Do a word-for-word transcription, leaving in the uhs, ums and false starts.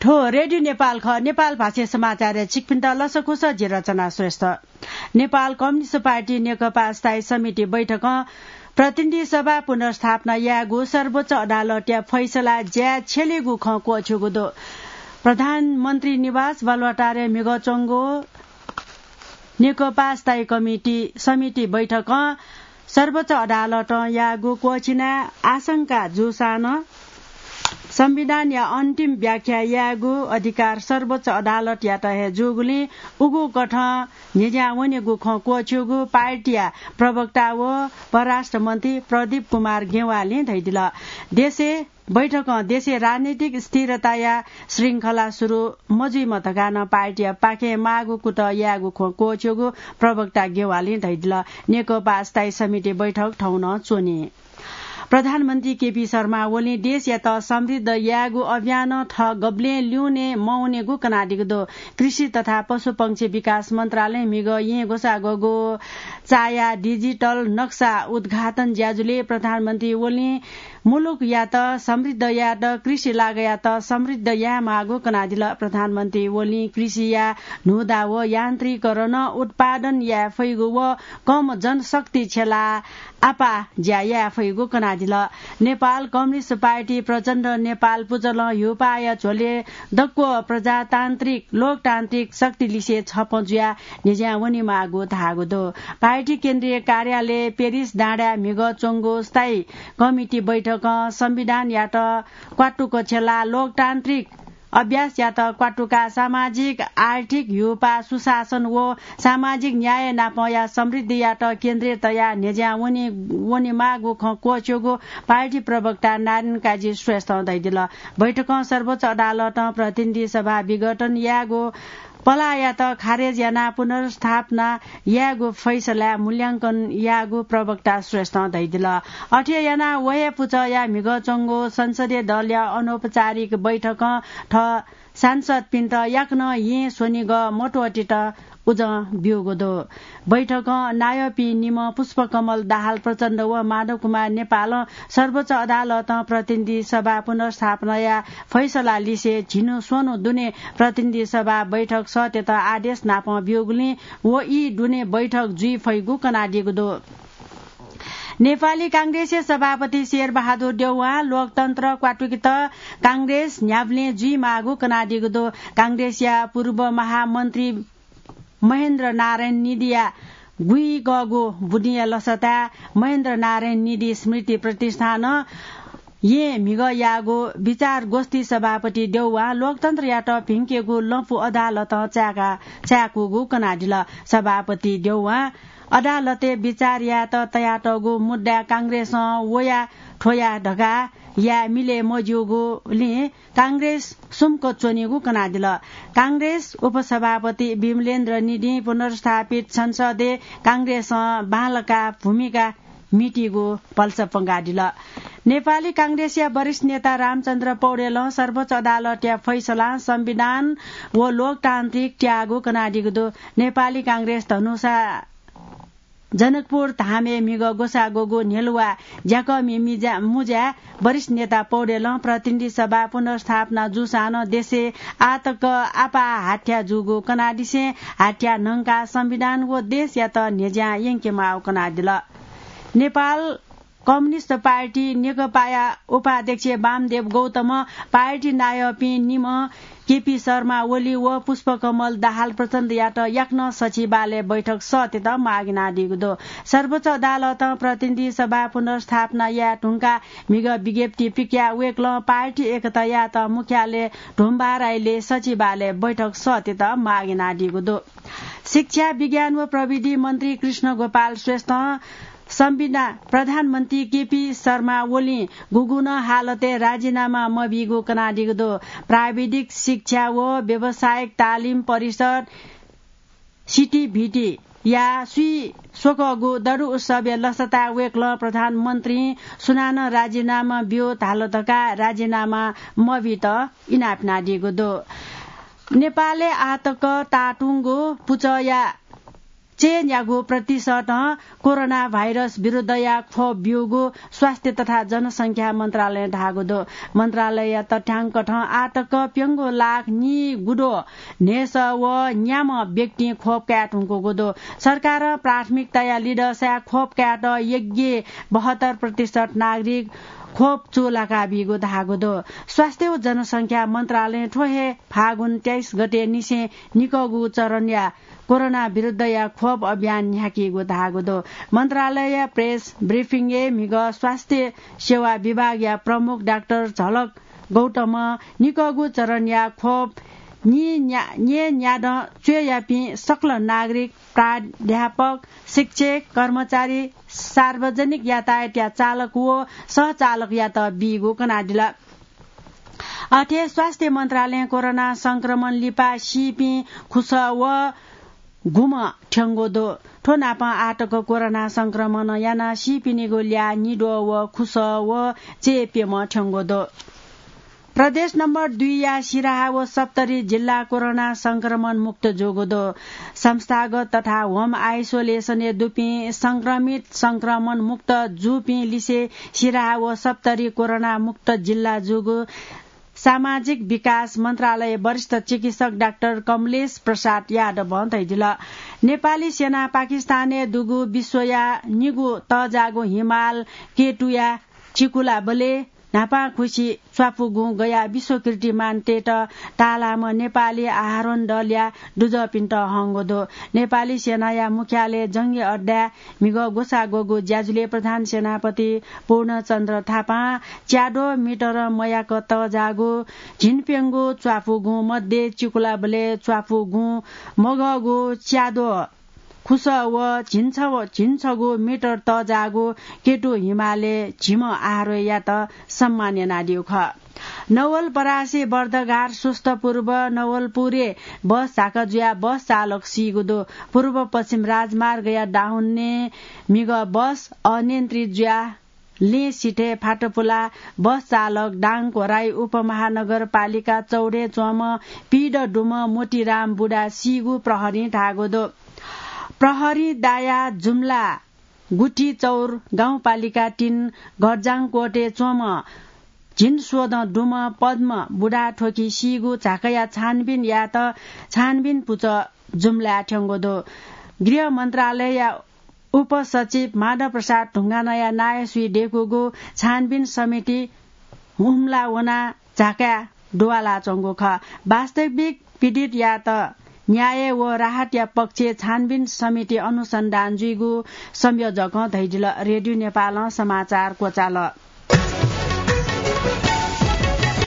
थ्व रेडियो नेपाल खः। नेपाल भाषा समाचारय् छिकपिन्त लसकुस, जि रचना श्रेष्ठ। नेपाल कम्युनिस्ट पार्टी नेकपा स्थायी समिति बैठकं प्रतिनिधि सभा पुनर्स्थापना यायेगु सर्वोच्च अदालतया फैसला ज्याय् छ्यलेगु खँ क्वःछ्यूगु दु। प्रधानमन्त्री निवास बालुवाटारय् म्हिगः च्वंगु नेकपा स्थायी कमिटी, समिति बैठकं सर्वोच्च अदालतं याःगु क्वःछिनाः आशंका जूसां नं संविधानया अन्तिम व्याख्या यायेगु अधिकार सर्वोच्च अदालतयात हे जूगुलिं उगु कथं न्ह्यज्यां वनेगु खँ क्वःछ्यूगु पार्टीया प्रवक्ता व परराष्ट्र मन्त्री प्रदीप कुमार गेवालीं धयादिल। देशय् बैठकं देशय् राजनीतिक स्थिरताया श्रृंखला सुरु मजुइमा धकाः नं पार्टीया पाखें माःगु कुतः यायेगु खँ क्वःछ्यूगु प्रवक्ता गेवालीं धयादिल। नेकपा स्थायी समिति बैठक थौं नं च्वनी। प्रधानमन्त्री केपी शर्मा ओलीं देशयात समृद्ध यायेगु अभियानं थः गबलें ल्यूने मवनेगु कनादीगु दु। कृषि तथा पशुपंक्षी विकास मन्त्रालयं म्हिगः येँ ग्वसाः ग्वःगु चाया डिजिटल नक्सा उद्घाटन ज्याझ्वलय् प्रधानमन्त्री ओलीं मुलुकयात समृद्ध यायेत कृषि लागःयात समृद्ध यायेमाःगु कनादिल। प्रधानमन्त्री ओलीं कृषिया न्हूदँ व यान्त्रिकीकरण, उत्पादन याये फइगु व कम जनशक्ति छ्यलाः आपाः ज्या याये फइगु कनादिल। नेपाल कम्युनिस्ट पार्टी प्रचण्ड नेपाल पुचलं ह्युपाया झ्वलय् दक्व प्रजातान्त्रिक, लोकतान्त्रिक शक्ति लिसे छपं जुयाः न्ह्यज्यां वनेमाःगु धाःगु दु। पार्टी केन्द्रीय कार्यालय पेरिस डाँडाय् म्हिगः च्वंगु स्थायी कमिटी बैठकं संविधानयात क्वातुक छ्यलाः लोकतान्त्रिक अभ्यासयात क्वातुकाः सामाजिक, आर्थिक, ह्युपा, सुशासन व सामाजिक न्याय नापंया समृद्धियात केन्द्रय् तयाः न्ह्यज्यां वने, वनेमाःगु खँ क्वःछ्यूगु पार्टी प्रवक्ता नारायण काजी श्रेष्ठं धयादिल। बैठकं सर्वोच्च अदालतं प्रतिनिधि सभा विघटन यायेगु पलाःयात खारेज यानाः पुनर्स्थापना यायेगु फैसलाय् मूल्यांकन याःगु प्रवक्ता श्रेष्ठं धयादिल। अथे यानाः व हे पुचःया म्हिगः च्वंगु संसदीय दलया अनौपचारिक बैठकं थः सांसदपिन्त याकनं येँ स्वनिगः मत्वःतेत उजं ब्यूगु दु। बैठकं नायःपिं निम्ह पुष्पकमल दाहाल प्रचण्ड व माधव कुमार नेपालं सर्वोच्च अदालतं प्रतिनिधि सभा पुनर्स्थापनाया फैसला लिसे झिन्हु स्वन्हु दुने प्रतिनिधि सभा बैठक सःतेत आदेश नापं ब्यूगुलिं व ई दुने बैठक जुइ फइगु कनादीगु दु। नेपाली कांग्रेसया सभापति शेरबहादुर देउवां लोकतन्त्र क्वातुकेत कांग्रेस न्ह्याबलें जुइमाःगु कनादीगु दु। कांग्रेसया पूर्व महामन्त्री महेन्द्र नारायण निधिया गुइगःगु बुदिंया लसताय् महेन्द्र नारायण निधि स्मृति प्रतिष्ठानं येँ म्हिगः याःगु विचार गोष्ठी सभापति देउवां लोकतन्त्रयात भिंकेगु लँपु अदालतं चाय्का, चाय्कूगु कनादिल। सभापति देउवां अदालतय् विचार यायेत तयातःगु मुद्दाय् कांग्रेसं वया थ्वया धकाः याये मिले मज्यूगुलिं कांग्रेस सुम्क च्वनीगु कनादिल। कांग्रेस उपसभापति विमलेन्द्र निधिं पुनर्स्थापित संसदय् कांग्रेसं बांलाका भूमिका म्हितीगु भलसा पंगादिल। नेपाली कांग्रेसया वरिष्ठ नेता रामचन्द्र पौडेलं सर्वोच्च अदालतया फैसलां संविधान व लोकतान्त्रिक त्यागु कनादीगु दु। नेपाली कांग्रेस धनुषा जनकपुर धामय् म्हिगः ग्वसाः ग्वःगु न्ह्यलुवा ज्याकःमि मिजा-, मुजाय् वरिष्ठ नेता पौडेलं प्रतिनिधि सभा पुनर्स्थापना जूसां नं देशय् आःतक आपाः हाथ्या जूगु कनादिसें हाथ्या न्हंकाः संविधान व देशयात न्ह्यज्यां यंकेमाःगु कनादिल। नेपाल कम्युनिस्ट पार्टी नेकपाया उपाध्यक्ष वामदेव गौतमं पार्टी नायःपिं निम्ह केपी शर्मा ओली व पुष्पकमल दाहाल प्रचण्डयात याकनं सचिवालय बैठक सःतेत माग यानादीगु दु। सर्वोच्च अदालतं प्रतिनिधि सभा पुनर्स्थापना याये धुंकाः म्हिगः विज्ञप्ति पिकयाः वय्कलं पार्टी एकतायात मुख्यालय ढोमबाराइलय् सचिवालय बैठक सःतेत माग यानादीगु दु। शिक्षा, विज्ञान व प्रविधि मन्त्री कृष्ण गोपाल श्रेष्ठं संविधान प्रधानमन्त्री केपी शर्मा ओलीं गुगुं नं हालतय् राजीनामा मबीगु कनादीगु दु। प्राविधिक शिक्षा व व्यावसायिक तालिम परिषद, सिटिभिटिया स्वीस्वकःगु दरु उत्सवया लसताय् वय्कलं प्रधानमन्त्रीं सुनानं राजीनामा ब्यु धाल धकाः राजीनामा मबीत इनाप यानादीगु दु। नेपालय् आःतक ताःतुंगु पुचःया चय्‌न्यागू प्रतिशतं कोरोना भाइरस विरुद्धया खोप ब्यूगु स्वास्थ्य तथा जनसंख्या मन्त्रालयं धाःगु दु। मन्त्रालयया तथ्याङ्कथं आःतक प्यंगू लाख निगुद्वः न्हय्‌सः व न्याम्ह व्यक्तिं खोप काये धुंकूगु दु। सरकारं प्राथमिकताया लिधंसाय् खोप कायेत यग्य बहत्तर प्रतिशत नागरिक खोप चूलाका बीगु धाःगु दु। स्वास्थ्य व जनसंख्या मन्त्रालयं थ्व हे फागुन तेइस गते निसें निकःगु चरणया कोरोना विरुद्धया खोप अभियान न्ह्याकीगु धाःगु दु। मन्त्रालयया प्रेस ब्रिफिङय् म्हिगः स्वास्थ्य सेवा विभागया प्रमुख डाक्टर झलक गौतमं निकःगु चरणया खोप न्येन्या-, न्येन्यादँ च्वय्‌यापिं सकल नागरिक, प्राध्यापक, शिक्षक, कर्मचारी, सार्वजनिक यातायातया चालक व सहचालकयात बीगु कनादिल। अथे स्वास्थ्य मन्त्रालयं कोरोना संक्रमण लिपा सीपिं खुसः व गुम्ह थ्यंगु दु। थ्व नापं आःतक कोरोना संक्रमण यानाः सीपिनिगु ल्याः निद्वः व खुसः व चय्‌प्यम्ह थ्यंगु दु। प्रदेश नम्बर दुईया सिराहा व सप्तरी जिल्ला कोरोना संक्रमण मुक्त जूगु दु। संस्थागत तथा होम आइसोलेसनय् दुपिं संक्रमित संक्रमण मुक्त जूपिं लिसे सिराहा व सप्तरी कोरोना मुक्त जिल्ला जूगु सामाजिक विकास मन्त्रालय वरिष्ठ चिकित्सक डाक्टर कमलेश प्रसाद यादवं धयादिल। नेपाली सेना पाकिस्तानय् दुगु विश्वया निगू तःजाःगु हिमाल केतुया चिकुलाबलय् न्हापांखुसि च्वापुगुं गयाः विश्व कीर्तिमान तयेत ताःलाःम्ह नेपाली आरोहण दलया दुजःपिन्त हंगु दु। नेपाली सेनाया मुख्यालय जंगी अड्डाय् म्हिगः ग्वसाः ग्वःगु ज्याझ्वलय् प्रधान सेनापति पूर्णचन्द्र थापां च्याद्वः मिटर मयाक तःजाःगु झिंप्यंगू च्वापुगुं मध्ये चिकुलाबलय् च्वापुगुं मगःगु च्याद्वः खुसः व झिंछ-, झिंछगू मिटर तःजाःगु केतु हिमालय् झिम्ह आरोहीयात सम्मान यानादीगु खः। नवलपरासी बर्दघाट सुस्त पूर्व नवलपुरय् बस झाक जुयाः बस चालक सीगु दु। पूर्व पश्चिम राजमार्गया दाहुन्ने म्हिगः बस अनियन्त्रित जुयाः लँय् सिथय् फातपुलाः बस चालक दाङघोराइ उपमहानगरपालिका चौरय् च्वंम्ह पीदँ दुम्ह मोतीराम बुढा सीगु प्रहरीं धाःगु दु। प्रहरीं दायाः जुम्ला गुठी चौर गाउँपालिका तीन घरजाङकोटय् च्वंम्ह झिंस्वदँ दुम्ह पद्म बुढा थ्वकि सीगु झाकया छानबिन यायेत छानबिन पुचः जुम्लाय् थ्यंगु दु। गृह मन्त्रालयया उपसचिव माधव प्रसाद ढुङ्गानाया नायःसुइ दय्‌कूगु छानबिन समिति हुम्ला वनाः झाकाय् दुवालाच्वंगु खः। वास्तविक पीडितयात न्याय व राहतया पक्षय् छानबिन समिति अनुसन्धान जुइगु संयोजकं धयादिल। रेडियो नेपालं समाचार क्वचाल।